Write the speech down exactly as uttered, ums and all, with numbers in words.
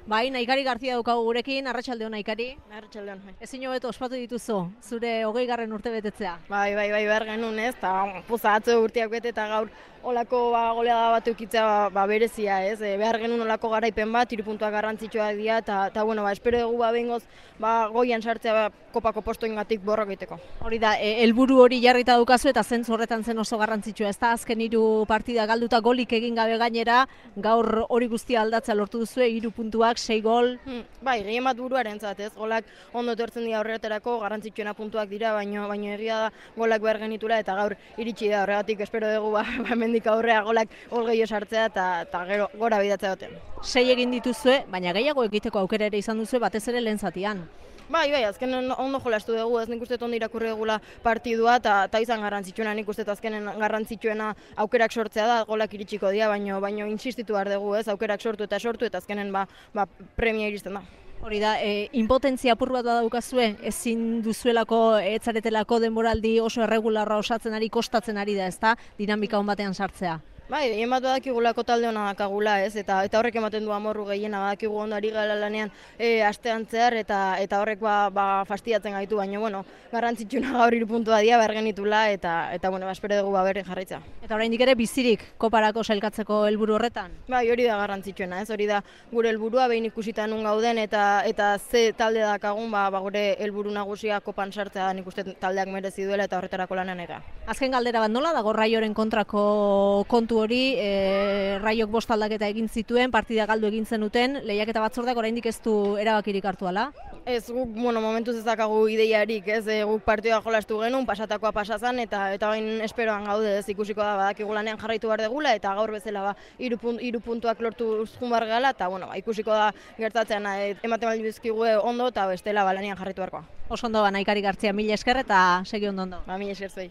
Bai, Naikari Garzia daukagu gurekin, arratsaldeon Naikari. Arratsaldeon. Ezin hobeto ospatu dituzu, zure hogeigarren urte betetzea. Bai, bai, bai, behar genuen ez, eta puza atzo urteak bete eta gaur olako ba, goleada bat eukitzea ba, ba, berezia ez, e, behar genuen olako garaipen bat, hiru puntuak garrantzitsuak dira, eta, eta bueno, ba, espero dugu ba, behingoz ba, goian sartzea ba, kopako postoengatik borrok egiteko. Hori da, e, helburu hori jarrita daukazu eta zentzu horretan zen oso garrantzitsua, ez da azken hiru partida galduta golik egin gabe gainera, gaur hori guztia aldatzea lortu duzue, hiru puntuak, sei gol. Hmm, bai, gehien bat buruarentzat ez, golak ondo etortzen dira horretarako, garrantzitsuena puntuak dira, baino, baino egia da golak behar genitula eta gaur iritsi da horregatik espero dugu ba, hemendik aurrea golak gol gehiago sartzea eta, eta gero gora bidatzea duten. Sei egin dituzue, baina gehiago egiteko aukera ere izan duzue batez ere lehen zatian. Bai, bai, azkenen ondo jolastu dugu, ez nik uste ondo irakurri dugula partidua eta izan garrantzitsuena, nik uste azkenen garrantzitsuena aukerak sortzea da, golak iritsiko dira, baino, baino insistitu behar dugu, ez, aukerak sortu eta sortu eta azkenen ba, ba, premia iristen da. Hori da, e, impotentzia apur bat badaukazue, ezin duzuelako, etzaretelako denboraldi oso erregularra osatzen ari, kostatzen ari da, ezta, dinamika on batean sartzea. Bai, gehien bat badakigulako talde hona dakagula, ez, eta eta horrek ematen du amorru gehiena, badakigu ondo ari gala lanean e, astean zehar, eta eta horrek ba, ba fastidiatzen gaitu, baina, bueno, garrantzitsuna gaur hiru puntua dira, behar genitula, eta, eta bueno, espero dugu ba bere jarraitzea. Eta oraindik ere bizirik koparako sailkatzeko helburu horretan? Bai, hori da garrantzitsuena, ez, hori da gure helburua behin ikusita nun gauden, eta eta ze talde dakagun, ba, ba gure helburu nagusia kopan sartzea, nik uste taldeak merezi duela eta horretarako lanean ega. Azken galdera bat nola dago Raioren kontrako kontu hori, e, Raiok bost aldaketa egin zituen, partida galdu egin zenuten, lehiaketa batzordeak oraindik ez du erabakirik hartu ala? Ez, guk, bueno, momentuz ez dakagu ideiarik, ez, e, guk partida jolastu genuen, pasatakoa pasazan, eta eta bain esperoan gaude, ez, ikusiko da, badakigu lanean jarraitu behar degula, eta gaur bezala, ba, hiru punt, hiru puntuak lortu zun bar gala, eta, bueno, ba, ikusiko da gertatzen, e, ematen baldin bizkigu ondo, eta bestela, ba, lanean jarraitu beharkoa. Oso ondo, ba, Naikari Gartzia, mila esker eta segi ondo ondo. Ba, mila esker zuei.